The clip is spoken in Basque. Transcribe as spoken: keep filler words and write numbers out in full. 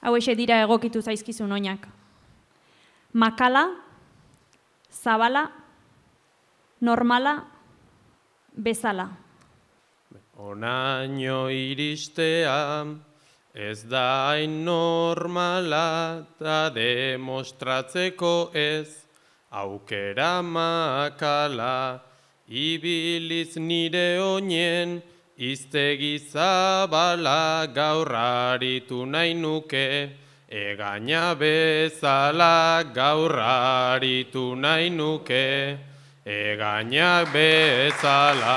Hauexe dira egokitu zaizkizun oinak. Makala, zabala, normala, bezala. Onaino iristea, ez da hain normala, ta demostratzeko ez, aukera makala, ibiliz nire oinen, iztegi zabala, gaur aritu nahi nuke, egaina bezala, gaur aritu nahi nuke, egaina bezala.